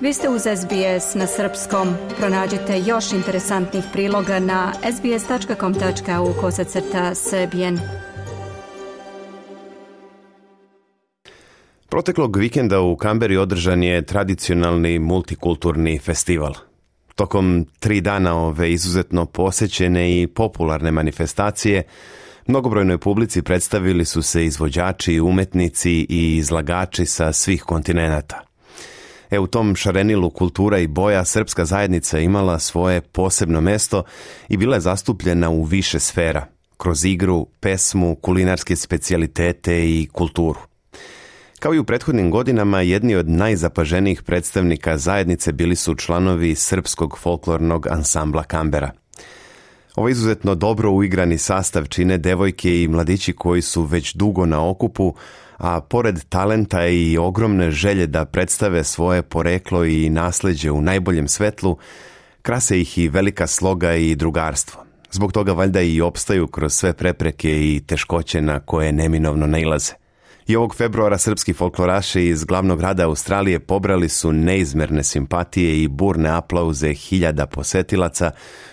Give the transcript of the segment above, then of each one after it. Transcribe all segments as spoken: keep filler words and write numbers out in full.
Vi ste uz S B S na srpskom. Pronađite još interesantnih priloga na sbs.com.au kosacrta srbijen. Proteklog vikenda u Kamberi održan je tradicionalni multikulturni festival. Tokom tri dana ove izuzetno posećene i popularne manifestacije, mnogobrojnoj publici predstavili su se izvođači, umetnici i izlagači sa svih kontinenata. E, u tom šarenilu kultura i boja srpska zajednica imala svoje posebno mesto i bila je zastupljena u više sfera, kroz igru, pesmu, kulinarske specijalitete i kulturu. Kao i u prethodnim godinama, jedni od najzapaženijih predstavnika zajednice bili su članovi srpskog folklornog ansambla Kambera. Ovo izuzetno dobro uigrani sastav čine devojke i mladići koji su već dugo na okupu, a pored talenta i ogromne želje da predstave svoje poreklo i nasleđe u najboljem svetlu, krase ih i velika sloga i drugarstvo. Zbog toga valjda i opstaju kroz sve prepreke i teškoće na koje neminovno nailaze. I ovog februara srpski folkloraši iz glavnog grada Australije pobrali su neizmerne simpatije i burne aplauze hiljada posetilaca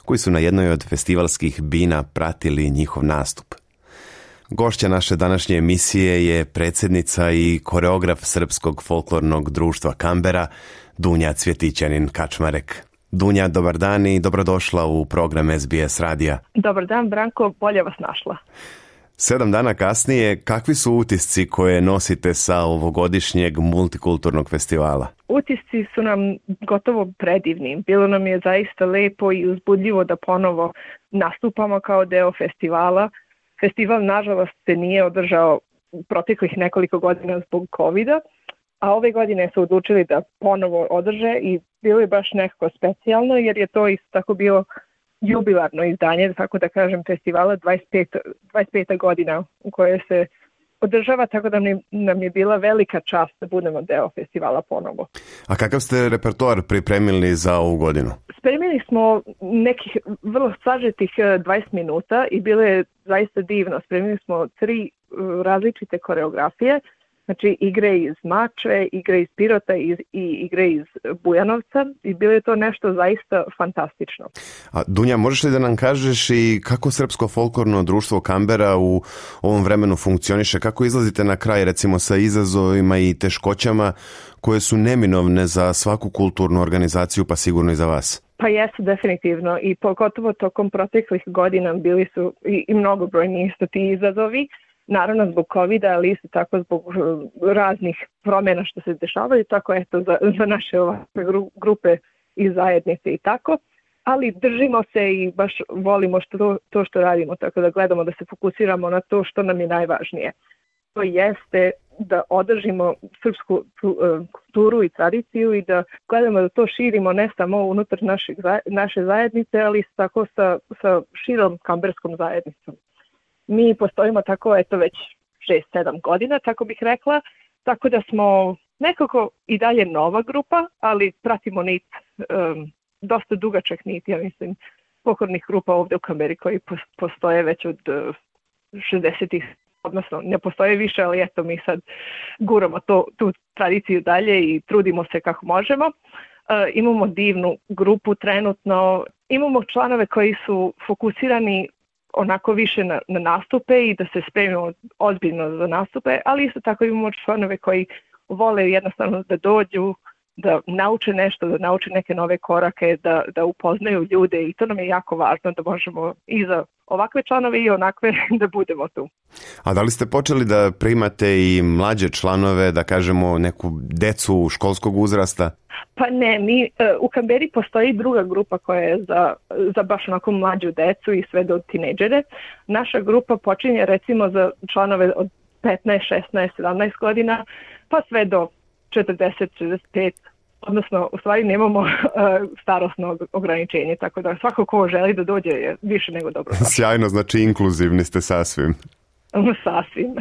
koji su na jednoj od festivalskih bina pratili njihov nastup. Gošća naše današnje emisije je predsjednica i koreograf Srpskog folklornog društva Kambera, Dunja Cvjetićanin-Kačmarek. Dunja, dobar dan i dobrodošla u program S B S radija. Dobar dan, Branko, bolje vas našla. Sedam dana kasnije, kakvi su utisci koje nosite sa ovogodišnjeg multikulturnog festivala? Utisci su nam gotovo predivni. Bilo nam je zaista lepo i uzbudljivo da ponovo nastupamo kao deo festivala. Festival, nažalost, se nije održao u proteklih nekoliko godina zbog kovida, a ove godine su odlučili da ponovo održe i bilo je baš nekako specijalno jer je to isto tako bilo jubilarno izdanje, tako da kažem, festivala dvadeset peta godina u kojoj se održava, tako da nam je bila velika čast da budemo deo festivala ponovo. A kakav ste repertoar pripremili za ovu godinu? Spremili smo nekih vrlo sažetih dvadeset minuta i bilo je zaista divno. Spremili smo tri različite koreografije, znači igre iz Mačve, igre iz Pirota i, i igre iz Bujanovca i bilo je to nešto zaista fantastično. A Dunja, možeš li da nam kažeš i kako Srpsko folklorno društvo Kambera u ovom vremenu funkcioniše? Kako izlazite na kraj recimo sa izazovima i teškoćama koje su neminovne za svaku kulturnu organizaciju, pa sigurno i za vas? Pa jesu definitivno i pogotovo tokom proteklih godina bili su i, i mnogobrojni isto ti izazovi. Naravno zbog kovida, ali isto tako zbog raznih promjena što se dešavaju, tako eto za, za naše ovakve grupe i zajednice i tako. Ali držimo se i baš volimo što, to što radimo, tako da gledamo da se fokusiramo na to što nam je najvažnije. To jeste da održimo srpsku kulturu i tradiciju i da gledamo da to širimo ne samo unutar našeg, naše zajednice, ali isto tako sa, sa širom kamberskom zajednicom. Mi postojimo tako eto već šest sedam godina, tako bih rekla, tako da smo nekako i dalje nova grupa, ali pratimo nit, um, dosta dugačak nit, ja mislim, pokornih grupa ovdje u Kamberi koji postoje već od uh, šezdesetih, odnosno ne postoje više, ali eto mi sad guramo to, tu tradiciju dalje i trudimo se kako možemo. Uh, imamo divnu grupu trenutno, imamo članove koji su fokusirani onako više na, na nastupe i da se spremimo ozbiljno za nastupe, ali isto tako imamo članove koji vole jednostavno da dođu, da nauče nešto, da nauče neke nove korake, da, da upoznaju ljude i to nam je jako važno da možemo i za ovakve članove i onakve da budemo tu. A da li ste počeli da primate i mlađe članove, da kažemo neku decu školskog uzrasta? Pa ne, mi u Kamberi postoji druga grupa koja je za, za baš onako mlađu decu i sve do tinejdžere. Naša grupa počinje recimo za članove od petnaest, šesnaest, sedamnaest godina, pa sve do četrdeset, četrdeset pet, odnosno u stvari nemamo uh, starosno ograničenje, tako da svako ko želi da dođe je više nego dobro. Sjajno, znači inkluzivni ste sasvim. Sasvim.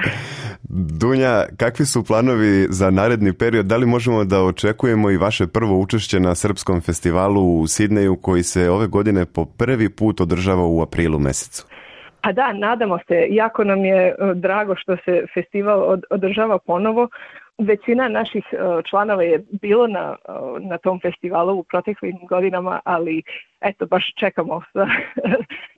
Dunja, kakvi su planovi za naredni period? Da li možemo da očekujemo i vaše prvo učešće na Srpskom festivalu u Sidneju koji se ove godine po prvi put održava u aprilu mesecu? Pa da, nadamo se. Jako nam je drago što se festival održava ponovo. većina naših članova je bilo na, na tom festivalu u proteklim godinama, ali eto, baš čekamo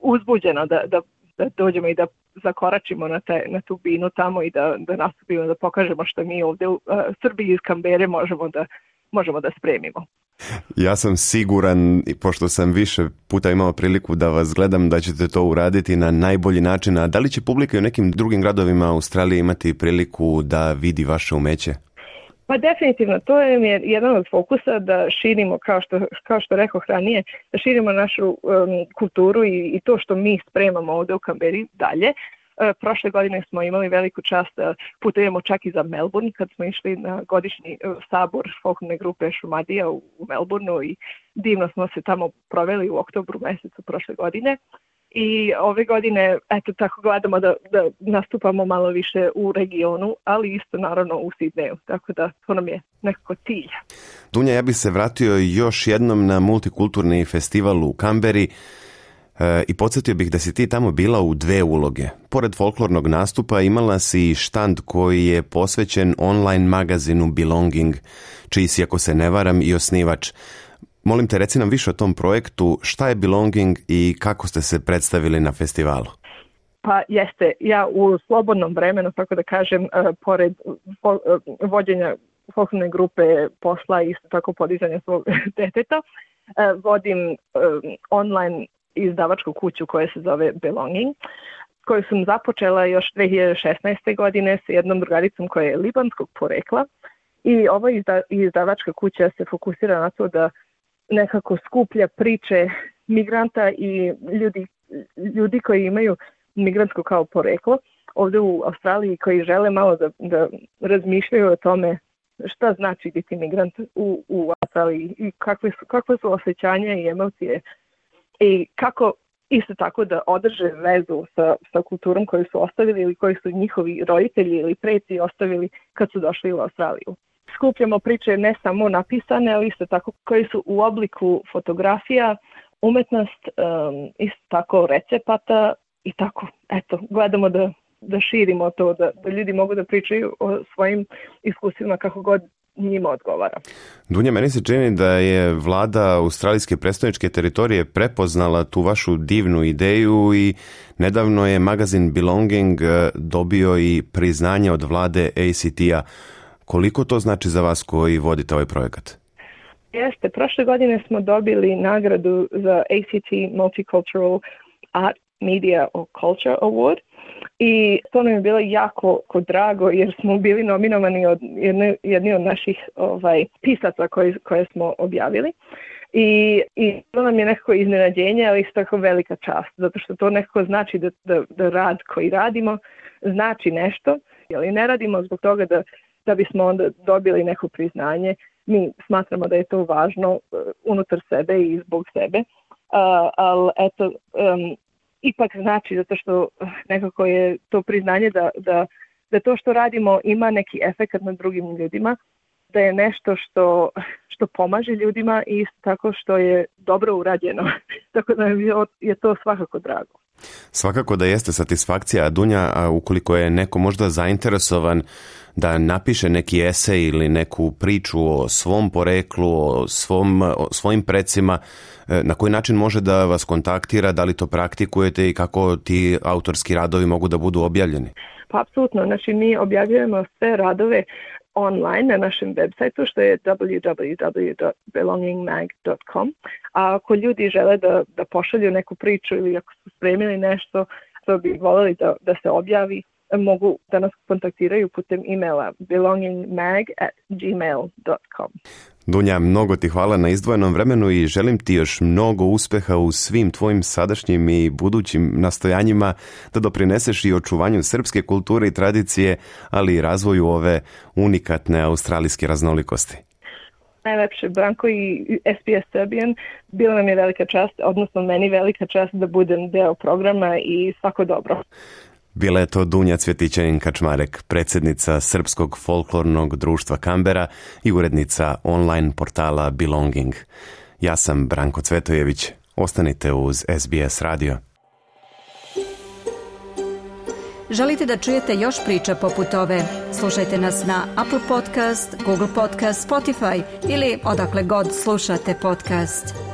uzbuđeno da, da, da dođemo i da zakoračimo na, te, na tu binu tamo i da, da nastupimo, da pokažemo što mi ovdje u Srbiji iz Kambere možemo da, možemo da spremimo. Ja sam siguran, pošto sam više puta imao priliku da vas gledam, da ćete to uraditi na najbolji način. A da li će publika i u nekim drugim gradovima Australije imati priliku da vidi vaše umeće? Pa definitivno, to je jedan od fokusa da širimo, kao što, kao što rekao ranije, da širimo našu um, kulturu i, i to što mi spremamo ovdje u Kamberi dalje. Prošle godine smo imali veliku čast da putujemo čak i za Melbourne kad smo išli na godišnji sabor folklorne grupe Šumadija u Melbourneu i divno smo se tamo proveli u oktobru mjesecu prošle godine. I ove godine, eto tako gledamo da, da nastupamo malo više u regionu, ali isto naravno u Sidneju, tako da to nam je nekako cilj. Dunja, ja bih se vratio još jednom na multikulturni festival u Kamberi. E, I podsjetio bih da si ti tamo bila u dve uloge. Pored folklornog nastupa imala si štand koji je posvećen online magazinu Belonging, čiji si, ako se ne varam, i osnivač. Molim te, reci nam više o tom projektu, šta je Belonging i kako ste se predstavili na festivalu? Pa jeste, ja u slobodnom vremenu, tako da kažem, pored vođenja folklorne grupe, posla i isto tako podizanja svog deteta, vodim online izdavačku kuću koja se zove Belonging, koju sam započela još dve hiljade šesnaeste. godine sa jednom drugaricom koja je libanskog porekla i ova izdavačka kuća se fokusira na to da nekako skuplja priče migranta i ljudi, ljudi koji imaju migrantsko kao poreklo ovdje u Australiji, koji žele malo da, da razmišljaju o tome šta znači biti migrant u, u Australiji i kakve su, kakve su osjećanja i emocije i kako isto tako da održe vezu sa, sa kulturom koju su ostavili ili koji su njihovi roditelji ili preci ostavili kad su došli u Australiju. Skupljamo priče ne samo napisane, ali isto tako koji su u obliku fotografija, umetnost, um, isto tako recepata i tako. Eto, gledamo da, da širimo to, da, da ljudi mogu da pričaju o svojim iskustvima kako god njima odgovara. Dunja, meni se čini da je vlada australijske predstavničke teritorije prepoznala tu vašu divnu ideju i nedavno je magazin Belonging dobio i priznanje od vlade A C T-a. Koliko to znači za vas koji vodite ovaj projekat? Jeste, prošle godine smo dobili nagradu za A C T Multicultural Art, Media or Culture Award i to nam je bilo jako drago jer smo bili nominovani od jedne, jedni od naših ovaj, pisaca koji, koje smo objavili. I, i to nam je nekako iznenađenje, ali isto tako velika čast, zato što to nekako znači da, da, da rad koji radimo znači nešto, ali ne radimo zbog toga da da bismo onda dobili neko priznanje. Mi smatramo da je to važno uh, unutar sebe i zbog sebe, uh, ali eto, um, ipak znači zato što nekako je to priznanje da, da, da to što radimo ima neki efekt na drugim ljudima, da je nešto što, što pomaže ljudima i isto tako što je dobro urađeno. Tako da je to svakako drago. Svakako da jeste satisfakcija, Dunja, a ukoliko je neko možda zainteresovan da napiše neki esej ili neku priču o svom poreklu, o, svom, o svojim precima, na koji način može da vas kontaktira, da li to praktikujete i kako ti autorski radovi mogu da budu objavljeni? Pa apsolutno, znači mi objavljujemo sve radove online na našem websajtu što je w w w dot belonging mag dot com. A ako ljudi žele da, da pošalju neku priču ili ako su spremili nešto što bi voljeli da, da se objavi, mogu da nas kontaktiraju putem e-maila belonging mag at gmail dot com. Dunja, mnogo ti hvala na izdvojenom vremenu i želim ti još mnogo uspeha u svim tvojim sadašnjim i budućim nastojanjima da doprineseš i očuvanju srpske kulture i tradicije, ali i razvoju ove unikatne australijske raznolikosti. Najlepše, Branko i S B S Serbian, bila nam je velika čast, odnosno meni velika čast da budem deo programa i svako dobro. Bila je to Dunja Cvjetićanin-Kačmarek, predsjednica Srpskog folklornog društva Kambera i urednica online portala Belonging. Ja sam Branko Cvetojević. Ostanite uz S B S radio. Želite da čujete još priča poput ove? Slušajte nas na Apple Podcast, Google Podcast, Spotify ili odakle god slušate podcast.